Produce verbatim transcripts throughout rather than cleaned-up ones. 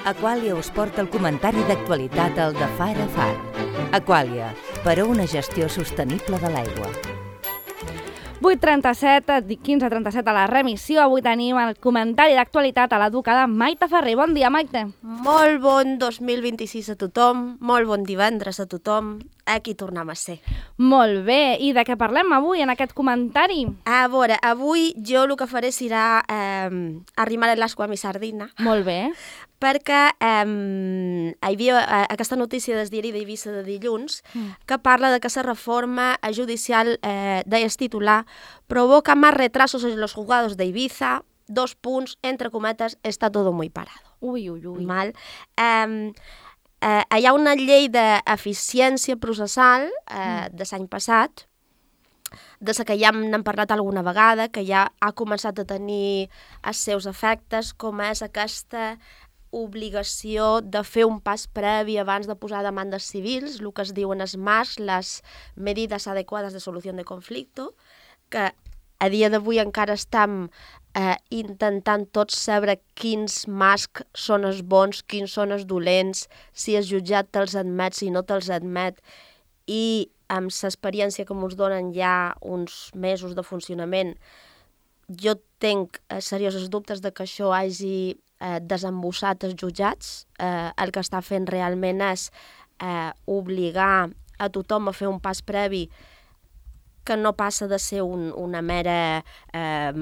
Aquàlia us porta el comentari d'actualitat al de Far a Far. Aquàlia, per a una gestió sostenible de l'aigua. vuit trenta-set, quinze trenta-set a la remissió. Avui tenim el comentari d'actualitat a l'educada Maite Ferrer. Bon dia, Maite. Molt bon dos mil vint-i-sis a tothom, molt bon divendres a tothom. Aquí tornem a ser. Molt bé, i de què parlem avui en aquest comentari? A veure, avui jo el que faré serà eh, arrimar l'aigua a mi sardina. Molt bé. Perquè eh, hi havia eh, aquesta notícia del diari d'Eivissa de dilluns mm. que parla de que la reforma judicial eh, de titular provoca más retrasos en los juzgados de Ibiza, dos punts, entre cometes, está todo muy parado. Ui, ui, ui. Mal. Eh, eh, hi ha una llei d'eficiència processal eh, mm. de l'any passat, de la que ja n'hem parlat alguna vegada, que ja ha començat a tenir els seus efectes, com és aquesta obligació de fer un pas previ abans de posar demandes civils, el que es diuen els M A S, les medidas adecuades de solució de conflicte, que a dia d'avui encara estem eh, intentant tots saber quins M A S són els bons, quins són els dolents, si el jutjat te'ls admet, si no te'ls admet, i amb l'experiència que ens donen ja uns mesos de funcionament, jo tenc eh, seriosos dubtes de que això hagi eh, desembossat els jutjats. Eh, el que està fent realment és eh, obligar a tothom a fer un pas previ que no passa de ser un, una mera eh,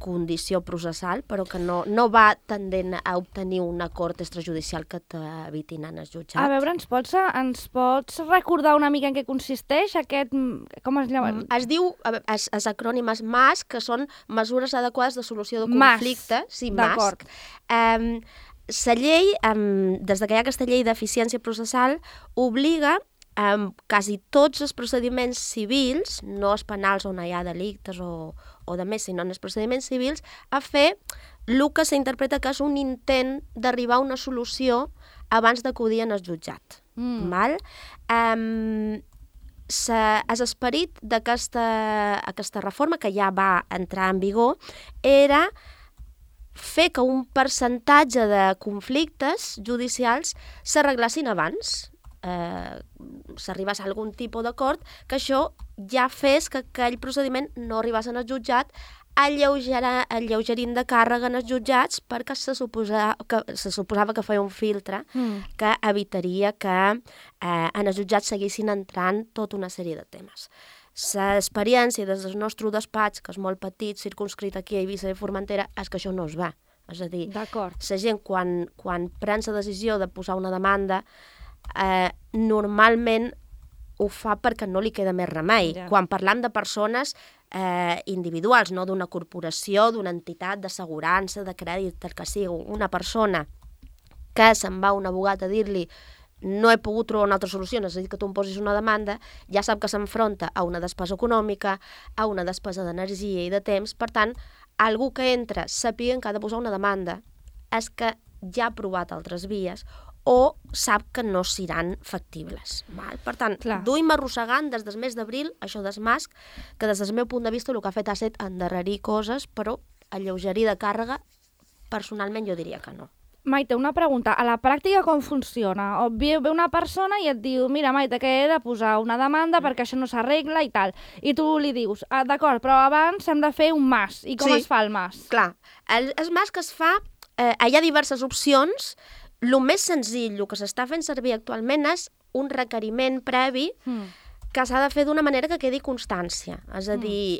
condició processal, però que no, no va tendent a obtenir un acord extrajudicial que t'evitin en el jutjat. A veure, ens pots, ens pots recordar una mica en què consisteix aquest... Com es llama? Es diu, els, els acrònims M A S, que són mesures adequades de solució de conflicte. M A S, sí, d'acord. Um, la llei, um, des que hi ha aquesta llei d'eficiència processal, obliga Um, quasi tots els procediments civils, no els penals on hi ha delictes o, o de més, sinó en els procediments civils, a fer el que s'interpreta que és un intent d'arribar a una solució abans d'acudir en el jutjat. Mm. Val? Um, L'esperit d'aquesta aquesta reforma, que ja va entrar en vigor, era fer que un percentatge de conflictes judicials s'arreglassin abans, Eh, s'arribés a algun tipus d'acord, que això ja fes que aquell procediment no arribés al jutjat, alleugerint de càrrega en els jutjats, perquè se, suposa, que, se suposava que feia un filtre mm. que evitaria que eh, en els jutjats seguissin entrant tota una sèrie de temes. L'experiència des del nostre despatx, que és molt petit, circunscrit aquí a Eivissa i Formentera, és que això no es va. És a dir, la gent quan, quan pren la decisió de posar una demanda, Eh, normalment ho fa perquè no li queda més remei. Ja. Quan parlam de persones eh, individuals, no d'una corporació, d'una entitat d'assegurança, de crèdit, el que sigui, una persona que se'n va a un abogat a dir-li no he pogut trobar una altra solució, necessito que tu em posis una demanda, ja sap que s'enfronta a una despesa econòmica, a una despesa d'energia i de temps. Per tant, algú que entra sapient que ha de posar una demanda és que ja ha provat altres vies o sap que no seran factibles. Val? Per tant, Clar. duim arrossegant des del mes d'abril això del M A S, que des del meu punt de vista el que ha fet ha estat endarrerir coses, però alleugerir de càrrega, personalment jo diria que no. Maite, una pregunta. A la pràctica com funciona? O ve una persona i et diu, mira, Maite, que he de posar una demanda perquè això no s'arregla i tal. I tu li dius, ah, d'acord, però abans hem de fer un M A S. I com sí. es fa el M A S? Clar, el, el M A S que es fa, eh, hi ha diverses opcions. El més senzill, el que s'està fent servir actualment és un requeriment previ mm. que s'ha de fer d'una manera que quedi constància. És a dir,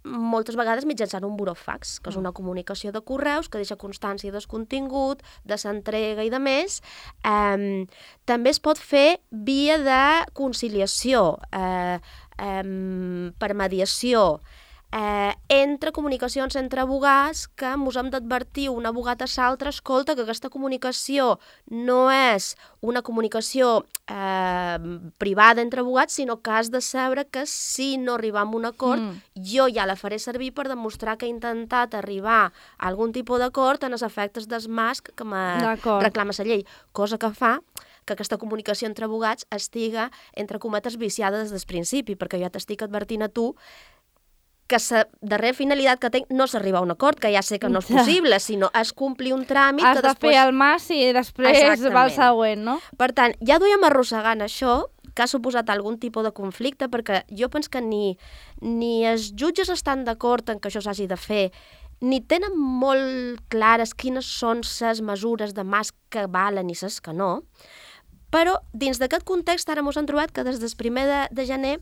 mm. moltes vegades mitjançant un burofax, que és una comunicació de correus que deixa constància del contingut, de s'entrega i de més. Um, també es pot fer via de conciliació, eh, um, per mediació, Eh, entre comunicacions entre abogats, que ens hem d'advertir un abogat a l'altre, escolta, que aquesta comunicació no és una comunicació eh, privada entre abogats, sinó que has de saber que si no arribam a un acord, mm. jo ja la faré servir per demostrar que he intentat arribar a algun tipus d'acord en els efectes del M A S que me reclama la llei, cosa que fa que aquesta comunicació entre abogats estiga, entre cometes, viciada des del principi, perquè jo t'estic advertint a tu que la darrera finalitat que tinc no és arribar a un acord, que ja sé que no és possible, sinó és complir un tràmit Has que de després... fer el mas i després Exactament. va el següent, no? Per tant, ja duiem arrossegant això, que ha suposat algun tipus de conflicte, perquè jo penso que ni, ni els jutges estan d'acord en que això s'hagi de fer, ni tenen molt clares quines són les mesures de mas que valen i les que no. Però dins d'aquest context ara ens hem trobat que des del primer de, de gener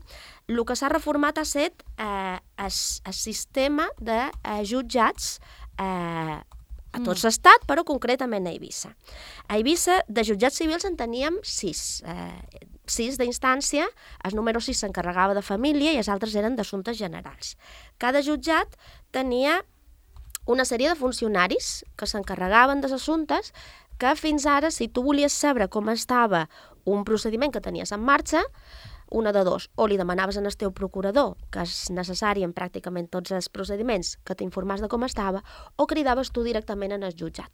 el que s'ha reformat ha estat eh, el, el sistema de eh, jutjats eh, a tot l'estat, però concretament a Eivissa. A Eivissa, de jutjats civils en teníem sis. Eh, sis d'instància, el número sis s'encarregava de família i els altres eren d'assumptes generals. Cada jutjat tenia una sèrie de funcionaris que s'encarregaven dels assumptes que fins ara, si tu volies saber com estava un procediment que tenies en marxa, una de dos, o li demanaves al teu procurador, que és necessari en pràcticament tots els procediments, que t'informàs de com estava, o cridaves tu directament en el jutjat.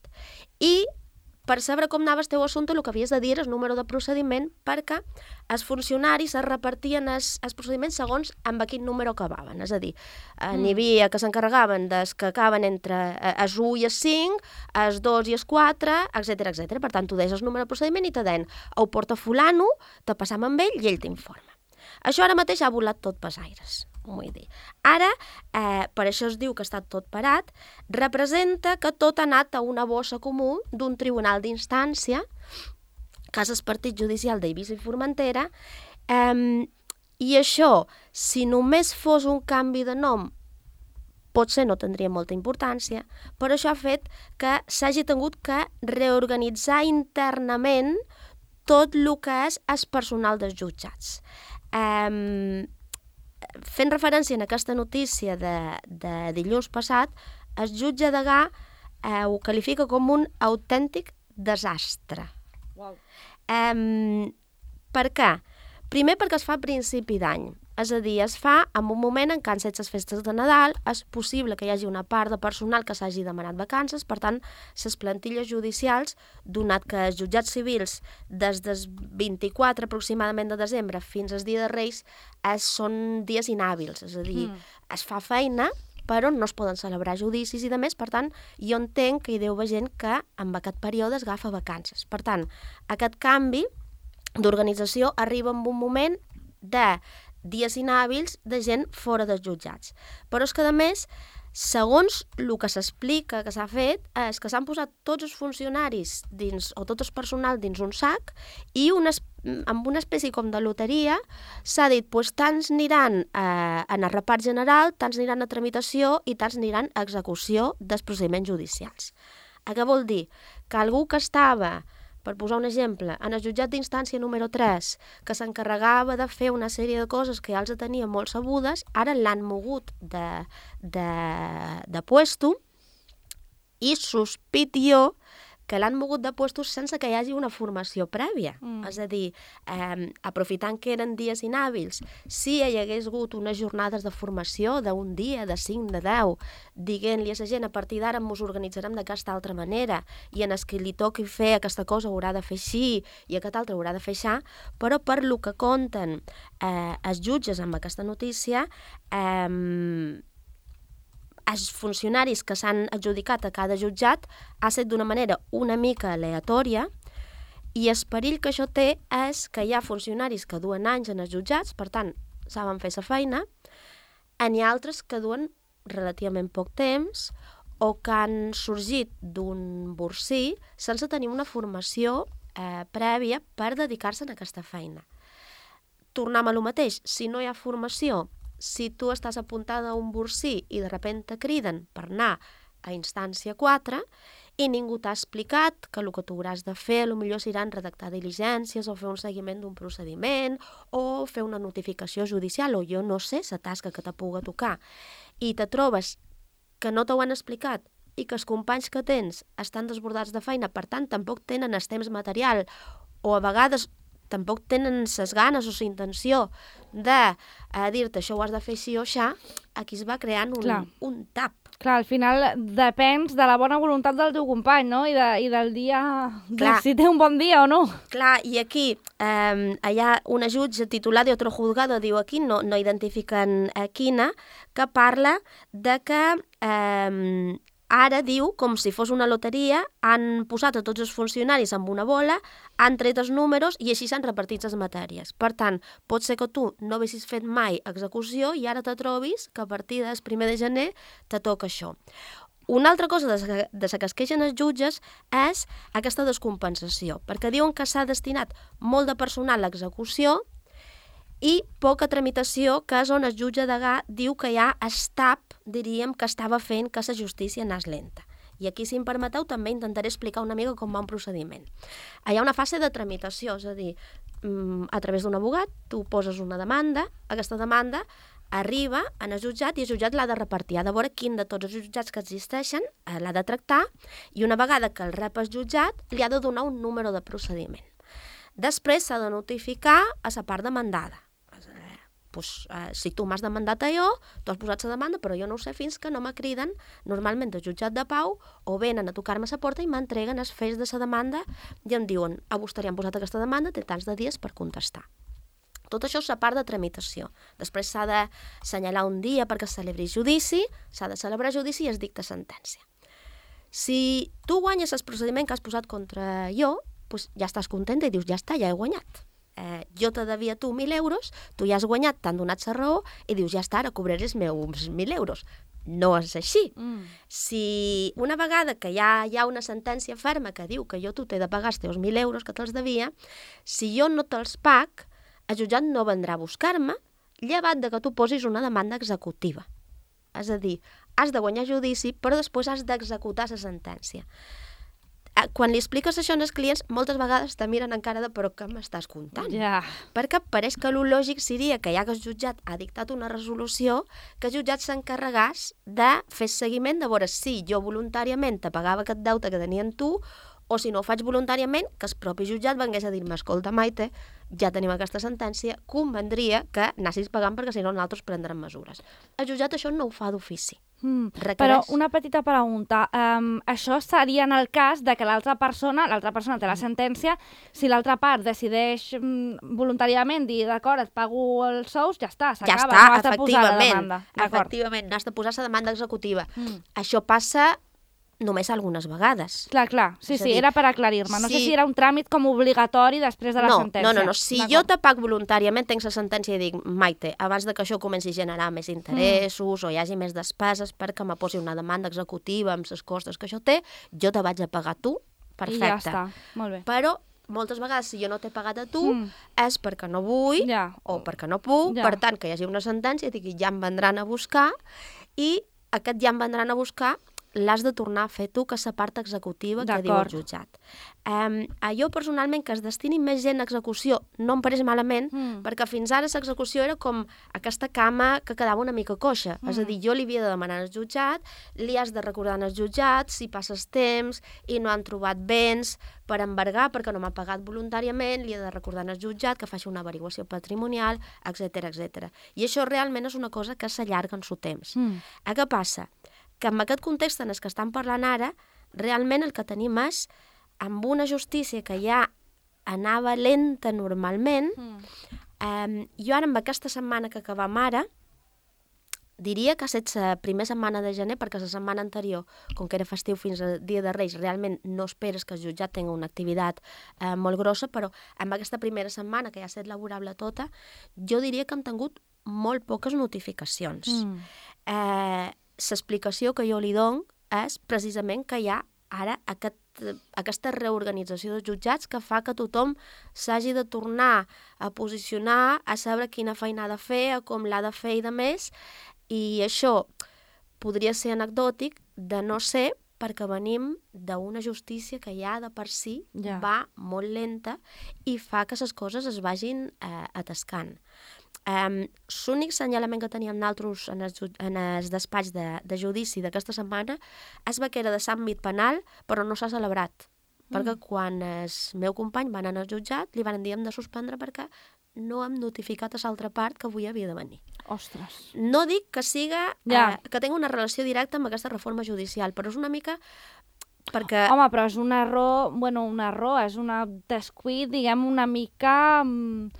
I per saber com anava el teu assumpte, el que havies de dir és el número de procediment, perquè els funcionaris es repartien els, els procediments segons amb quin número acabaven. És a dir, mm. n'hi havia que s'encarregaven dels que acaben entre els u i els cinc, els dos i els quatre, etcètera, etcètera. Per tant, tu deies el número de procediment i te deien ho porta fulano, te passam amb ell i ell t'informa. Això ara mateix ha volat tot pels aires. Vull dir. Ara, eh, per això es diu que està tot parat, representa que tot ha anat a una bossa comú d'un tribunal d'instància, que és el partit judicial d'Eivissa i Formentera, eh, i això, si només fos un canvi de nom, potser no tindria molta importància, però això ha fet que s'hagi tingut que reorganitzar internament tot el que és el personal dels jutjats. Eh, fent referència a aquesta notícia de, de dilluns passat, el jutge Degà eh, ho qualifica com un autèntic desastre. Wow. Eh, per què? Primer perquè es fa a principi d'any, és a dir, es fa en un moment en què han set les festes de Nadal, és possible que hi hagi una part de personal que s'hagi demanat vacances, per tant, les plantilles judicials, donat que els jutjats civils des del vint-i-quatre aproximadament de desembre fins al dia de Reis es, són dies inhàbils, és a dir, mm. es fa feina, però no es poden celebrar judicis i de més, per tant, jo entenc que hi deu haver gent que en aquest període es agafa vacances. Per tant, aquest canvi d'organització arriba en un moment de dies inhàbils de gent fora dels jutjats. Però és que, a més, segons el que s'explica que s'ha fet, és que s'han posat tots els funcionaris dins, o tot el personal dins un sac i una, amb una espècie com de loteria s'ha dit, doncs tants aniran eh, en el repart general, tants aniran a tramitació i tants aniran a execució dels procediments judicials. Què vol dir? Que algú que estava, per posar un exemple, en el jutjat d'instància número tres, que s'encarregava de fer una sèrie de coses que ja els tenia molt sabudes, ara l'han mogut de, de, de puesto i sospit jo que l'han mogut de puestos sense que hi hagi una formació prèvia. Mm. És a dir, eh, aprofitant que eren dies inhàbils, si hi hagués hagut unes jornades de formació d'un dia, de cinc, de deu, dient-li a la gent, a partir d'ara ens organitzarem d'aquesta altra manera, i en el que li toqui fer aquesta cosa haurà de fer així, i aquest altre haurà de fer això, però per lo que conten eh, els jutges amb aquesta notícia, eh, els funcionaris que s'han adjudicat a cada jutjat ha estat d'una manera una mica aleatòria i el perill que això té és que hi ha funcionaris que duen anys en els jutjats, per tant, saben fer la feina, n'hi ha altres que duen relativament poc temps o que han sorgit d'un borsí sense tenir una formació eh, prèvia per dedicar-se a aquesta feina. Tornem a lo mateix, si no hi ha formació, si tu estàs apuntada a un borsí i de sobte te criden per anar a instància quatre i ningú t'ha explicat que el que tu hauràs de fer potser seran redactar diligències o fer un seguiment d'un procediment o fer una notificació judicial o jo no sé la tasca que te pugui tocar i te trobes que no t'ho han explicat i que els companys que tens estan desbordats de feina, per tant tampoc tenen el temps material o a vegades tampoc tenen les ganes o la intenció de eh, dir-te això ho has de fer així o aixà, aquí es va creant un, un tap. Clar, al final depens de la bona voluntat del teu company, no? I, de, i del dia... De si té un bon dia o no. Clar, i aquí eh, hi ha una jutge titulada i otro juzgado, diu aquí, no, no identifiquen a quina, que parla de que eh, ara, diu, com si fos una loteria, han posat a tots els funcionaris amb una bola, han tret els números i així s'han repartit les matèries. Per tant, pot ser que tu no haguessis fet mai execució i ara te trobis que a partir del primer de gener te toca això. Una altra cosa de la que es queixen els jutges és aquesta descompensació, perquè diuen que s'ha destinat molt de personal a l'execució i poca tramitació, que és on el jutge degà diu que hi ha estap, diríem, que estava fent que la justícia anés lenta. I aquí, si em permeteu, també intentaré explicar una mica com va un procediment. Hi ha una fase de tramitació, és a dir, a través d'un abogat, tu poses una demanda, aquesta demanda arriba en el jutjat i el jutjat l'ha de repartir, ha de veure quin de tots els jutjats que existeixen l'ha de tractar i una vegada que el rep el jutjat li ha de donar un número de procediment. Després s'ha de notificar a la part demandada. Pues, eh, si tu m'has demandat allò, tu has posat la demanda, però jo no ho sé fins que no me criden normalment del jutjat de pau o venen a tocar-me a la porta i m'entreguen els fets de la demanda i em diuen, a vostè li han posat aquesta demanda, té tants de dies per contestar. Tot això és la part de tramitació. Després s'ha d'assenyalar un dia perquè es celebri judici, s'ha de celebrar judici i es dicta sentència. Si tu guanyes el procediment que has posat contra jo, doncs ja estàs contenta i dius, ja està, ja he guanyat. Eh, jo te devia tu mil euros, tu ja has guanyat, t'han donat la raó i dius, ja està, ara cobraré els meus mil euros. No és així. Mm. Si una vegada que ja hi ha una sentència ferma que diu que jo tu t'he de pagar els teus mil euros que te'ls devia, si jo no te'ls pag, el jutjat no vendrà a buscar-me, llevat de que tu posis una demanda executiva. És a dir, has de guanyar judici, però després has d'executar la sentència. Quan li expliques això als clients, moltes vegades te miren encara de però què m'estàs contant? Yeah. Perquè pareix que el lògic seria que ja que el jutjat ha dictat una resolució, que el jutjat s'encarregàs de fer seguiment, de veure si jo voluntàriament te pagava aquest deute que tenien tu, o si no ho faig voluntàriament, que el propi jutjat vengués a dir-me, escolta, Maite, ja tenim aquesta sentència, convendria que anessis pagant perquè si no nosaltres prendrem mesures. El jutjat això no ho fa d'ofici. Mm, però una petita pregunta, um, això seria en el cas de que l'altra persona, l'altra persona té la sentència, si l'altra part decideix um, voluntàriament dir, d'acord, et pago els sous, ja està, s'acaba, ja està, no has de posar la demanda. Efectivament, no has de posar la demanda executiva. Mm. Això passa només algunes vegades. Clar, clar, sí, sí, dir, era per aclarir-me. No sí. sé si era un tràmit com obligatori després de la no, sentència. No, no, no. Si jo te pago voluntàriament, tenc la sentència i dic, Maite, abans de que això comenci a generar més interessos mm. o hi hagi més despeses perquè me posi una demanda executiva amb les costes que això té, jo te vaig a pagar tu, perfecte. I ja està, molt bé. Però moltes vegades, si jo no t'he pagat a tu, mm. és perquè no vull ja. o perquè no puc, ja. Per tant, que hi hagi una sentència, dic, ja em vendran a buscar i aquest ja em vendran a buscar l'has de tornar a fer tu, que és la part executiva que diu el jutjat. Um, jo, personalment, que es destini més gent a execució no em pareix malament, mm. perquè fins ara l'execució era com aquesta cama que quedava una mica coixa. Mm. És a dir, jo li havia de demanar al jutjat, li has de recordar al jutjat si passes temps i no han trobat béns per embargar perquè no m'ha pagat voluntàriament, li he de recordar al jutjat que faci una averiguació patrimonial, etcètera, etcètera. I això realment és una cosa que s'allarga en su temps. Mm. A què passa? Que en aquest context en el que estan parlant ara, realment el que tenim és, amb una justícia que ja anava lenta normalment, mm. eh, jo ara amb aquesta setmana que acabam ara, diria que ha estat la primera setmana de gener, perquè la setmana anterior, com que era festiu fins al dia de Reis, realment no esperes que el jutjat tingui una activitat eh, molt grossa, però amb aquesta primera setmana, que ja ha estat laborable tota, jo diria que hem tingut molt poques notificacions. Mm. Eh, L'explicació que jo li dono és precisament que hi ha ara aquest, aquesta reorganització dels jutjats que fa que tothom s'hagi de tornar a posicionar, a saber quina feina ha de fer, a com l'ha de fer i de més, i això podria ser anecdòtic de no ser perquè venim d'una justícia que ja de per si ja. Va molt lenta i fa que les coses es vagin eh, atascant. Um, l'únic senyalament que teníem nosaltres en els, en els despatx de, de judici d'aquesta setmana és que era de l'àmbit penal, però no s'ha celebrat. Mm. Perquè quan el meu company va anar al jutjat li van dir hem de suspendre perquè no hem notificat a l'altra part que avui havia de venir. Ostres. No dic que siga, Ja. eh, que tingui una relació directa amb aquesta reforma judicial, però és una mica perquè... Home, però és un error, bueno, un error, és una descuit, diguem, una mica mm,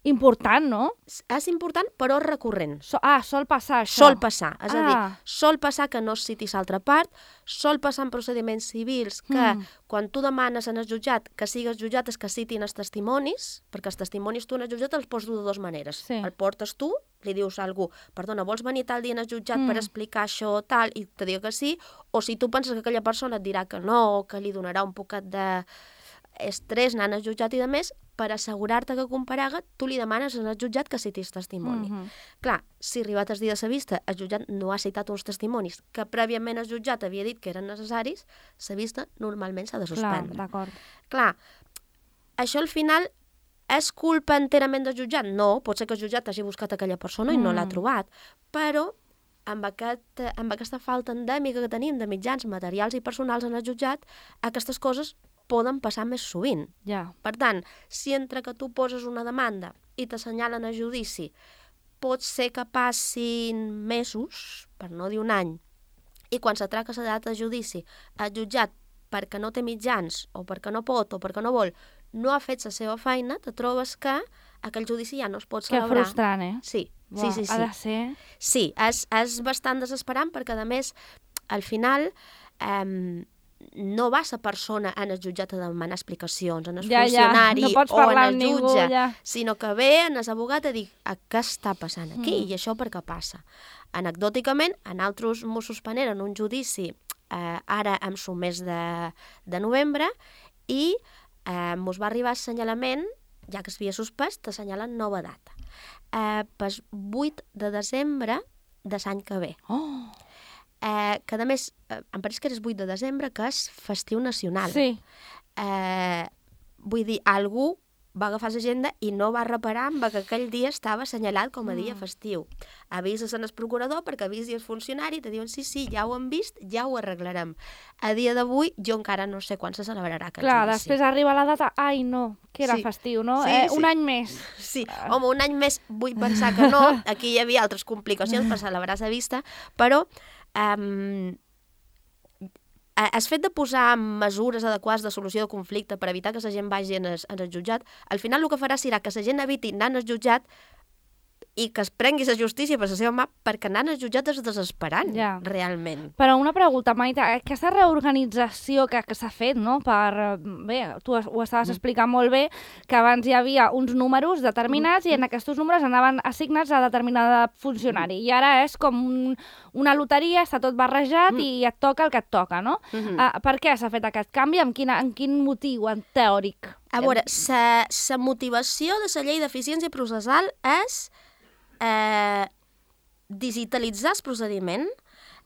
important, no? És important, però recurrent. So, ah, sol passar això. Sol passar, és a dir, Ah. sol passar que no es citi l'altra part, sol passar en procediments civils que Mm. quan tu demanes en el jutjat que sigues jutjat és que citin els testimonis, perquè els testimonis tu en el jutjat els pots dur de dues maneres. Sí. El portes tu, li dius a algú, perdona, vols venir tal dia en el jutjat Mm. per explicar això tal, i te diu que sí, o si tu penses que aquella persona et dirà que no, o que li donarà un poquet de estrès anant al jutjat i de més, per assegurar-te que comparega, tu li demanes al jutjat que citis testimoni. Mhm. Clar, si arribat el dia de la vista, el jutjat no ha citat uns testimonis que prèviament el jutjat havia dit que eren necessaris, la vista normalment s'ha de Clar, suspendre. d'acord. Clar, això al final és culpa enterament del jutjat? No, pot ser que el jutjat hagi buscat aquella persona i no Mm. l'ha trobat, però amb, aquest, amb aquesta falta endèmica que tenim de mitjans materials i personals en el jutjat, aquestes coses poden passar més sovint. Ja. Per tant, si entre que tu poses una demanda i t'assenyalen a judici, pot ser que passin mesos, per no dir un any, i quan s'atraca la data de judici, el jutjat, perquè no té mitjans, o perquè no pot, o perquè no vol, no ha fet la seva feina, te trobes que aquell judici ja no es pot Que celebrar. frustrant, eh? Sí, Buah, sí, sí, sí. Ha de ser... Sí, és, és bastant desesperant perquè, a més, al final eh, no va la persona en el jutjat a demanar explicacions, en el Ja, ja, funcionari no pots o en parlar el amb ningú, jutge, ja. sinó que ve en l'abogat a dir què està passant aquí Mm. i això per què passa. Anecdòticament, en altres Mossos Panera, en un judici, eh, ara en el mes de, de novembre, i eh, mos va arribar assenyalament, ja que s'havia suspès, t'assenyalen nova data. Eh, pel vuit de desembre de l'any que ve. Oh, Eh, que a més, eh, em pareix que és vuit de desembre, que és festiu nacional. sí. Eh, vull dir, algú va agafar l'agenda i no va reparar amb que aquell dia estava assenyalat com a dia festiu. Avises en el procurador perquè avisi el funcionari i te diuen sí, sí, ja ho hem vist, ja ho arreglarem. A dia d'avui jo encara no sé quan se celebrarà aquest Clar, judici. després arriba la data, ai no, que era Sí. festiu, no? Sí, eh, sí. Un any més. Sí, home, un any més vull pensar que no, aquí hi havia altres complicacions per celebrar la vista, però um, el fet de posar mesures adequades de solució de conflicte per evitar que la gent vagi en el, en el jutjat, al final el que farà serà que la gent eviti anar al jutjat i que es prengui la justícia per la seva mà, perquè anar al jutjat és desesperant, Ja. realment. Però una pregunta, Maite, aquesta reorganització que, que s'ha fet, no? Per, bé, tu ho estaves explicant molt bé, que abans hi havia uns números determinats i en aquests números anaven assignats a determinada funcionari. I ara és com un, una loteria, està tot barrejat i et toca el que et toca, no? Mhm. Ah, per què s'ha fet aquest canvi? Amb, quina, amb quin motiu, en teòric? A veure, la motivació de la llei d'eficiència processal és eh, digitalitzar el procediment,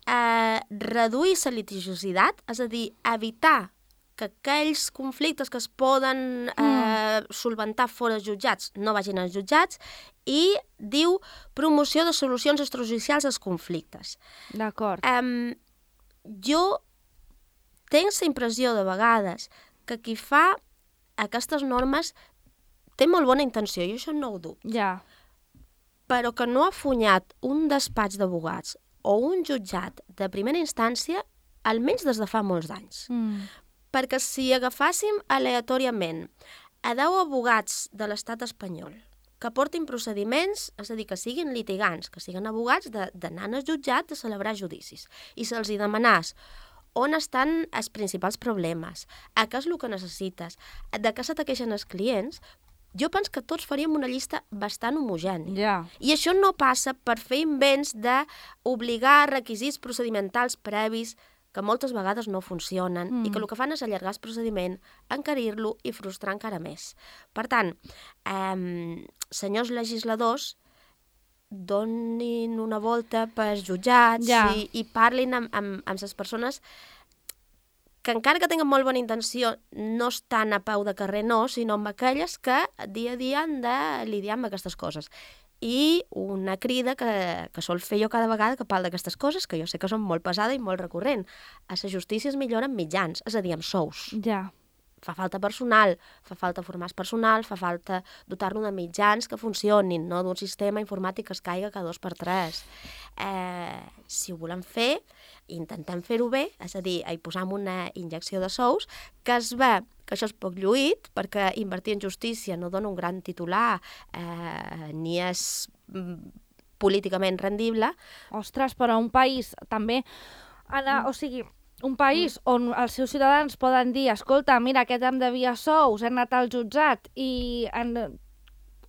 eh, reduir la litigiositat, és a dir, evitar que aquells conflictes que es poden eh, solventar fora dels jutjats no vagin als jutjats, i diu promoció de solucions extrajudicials als conflictes. D'acord. Um, jo tinc la impressió de vegades que qui fa aquestes normes té molt bona intenció, i això no ho dubto, Ja. però que no ha funyat un despatx d'abogats o un jutjat de primera instància almenys des de fa molts anys. Mm. Perquè si agafàssim aleatòriament a deu abogats de l'estat espanyol que portin procediments, és a dir, que siguin litigants, que siguin abogats d'anar al jutjat de celebrar judicis, i se'ls hi demanàs on estan els principals problemes, a què és el que necessites, de què se te queixen els clients, jo penso que tots faríem una llista bastant homogènia. Ja. I això no passa per fer invents d'obligar requisits procedimentals previs que moltes vegades no funcionen mm. i que el que fan és allargar el procediment, encarir-lo i frustrar encara més. Per tant, eh, senyors legisladors, donin una volta pels jutjats Ja. i, i parlin amb, amb, amb les persones que encara que tinguin molt bona intenció no estan a peu de carrer, no, sinó amb aquelles que dia a dia han de lidiar amb aquestes coses. I una crida que, que sol fer jo cada vegada que parlo d'aquestes coses, que jo sé que són molt pesada i molt recurrent. A la justícia es millora amb mitjans, és a dir, amb sous. Ja. fa falta personal, fa falta formar personal, fa falta dotar-lo de mitjans que funcionin, no d'un sistema informàtic que es caiga cada dos per tres. Eh, si ho volem fer, intentem fer-ho bé, és a dir, hi posam una injecció de sous, que es ve que això és poc lluït, perquè invertir en justícia no dona un gran titular, eh, ni és políticament rendible. Ostres, però un país també... Anar, o sigui, un país on els seus ciutadans poden dir escolta, mira, aquest em devia sous, he anat al jutjat i en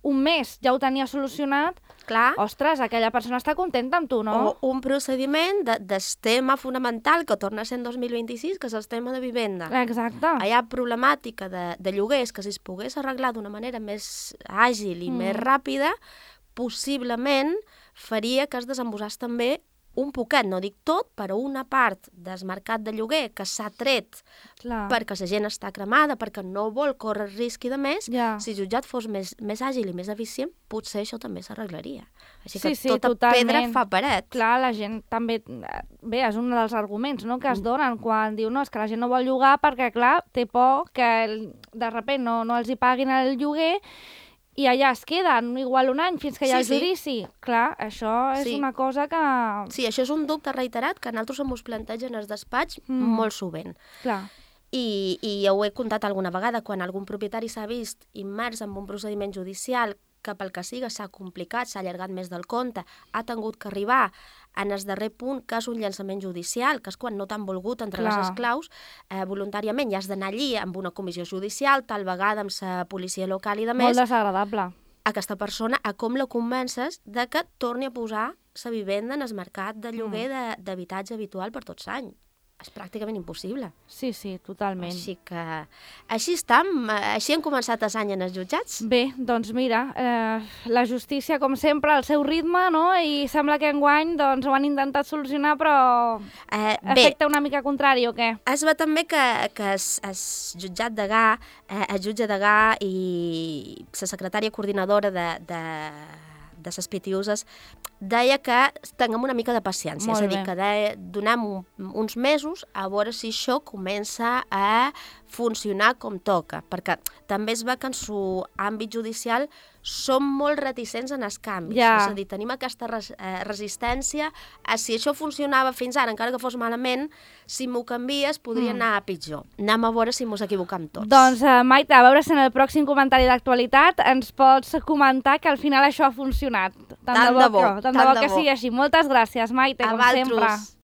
un mes ja ho tenia solucionat, clar, ostres, aquella persona està contenta amb tu, no? O un procediment de, del tema fonamental que torna a ser en dos mil vint-i-sis, que és el tema de vivenda. Exacte. Hi ha problemàtica de, de lloguers que si es pogués arreglar d'una manera més àgil i mm. més ràpida, possiblement faria que es desembossés també un poquet, no dic tot, però una part del mercat de lloguer que s'ha tret Clar. perquè la gent està cremada, perquè no vol córrer risc i de més, ja. si el jutjat fos més, més àgil i més eficient, potser això també s'arreglaria. Així que sí, sí, tota totalment. pedra fa paret. Clar, la gent també... Bé, és un dels arguments, no?, que es donen quan diu no, és que la gent no vol llogar perquè, clar, té por que de sobte no, no els hi paguin el lloguer i allà es queden, igual un any, fins que hi ha sí, el judici. Sí. Clar, això és sí. una cosa que... Sí, això és un dubte reiterat que nosaltres ens plantegen als despatx mm. molt sovint. Clar. I, I ja ho he contat alguna vegada, quan algun propietari s'ha vist immers en un procediment judicial que pel que siga s'ha complicat, s'ha allargat més del compte, ha tingut que arribar en el darrer punt, que és un llançament judicial, que és quan no t'han volgut entre Clar. les esclaus, eh, voluntàriament ja has d'anar allí amb una comissió judicial, tal vegada amb la policia local i de més. Molt desagradable. Aquesta persona, a com la convences de que torni a posar la vivenda en el mercat de lloguer mm. d'habitatge habitual per tots anys. És pràcticament impossible. Sí, sí, totalment. Així que... Així estem, així hem començat els anys en els jutjats. Bé, doncs mira, eh, la justícia, com sempre, al seu ritme, no? I sembla que enguany doncs, ho han intentat solucionar, però eh, efecte una mica contrari, o què? Es va també que, que es, es jutjat Degà, eh, el jutge Degà i la secretària coordinadora de... de de les P T Us, deia que tinguem una mica de paciència, Molt és a dir, bé. que de, donem un, uns mesos a veure si això comença a funcionar com toca, perquè també es veu que en su àmbit judicial som molt reticents en els canvis, ja. és a dir, tenim aquesta res, eh, resistència a si això funcionava fins ara, encara que fos malament, si m'ho canvies podria mm. anar a pitjor. Anem a veure si mos equivocam tots. Doncs, uh, Maite, a veure si en el pròxim comentari d'actualitat ens pots comentar que al final això ha funcionat. Tant, tant de bo, que, tant, tant de bo que sigui així. Moltes gràcies, Maite, a com valtros. sempre.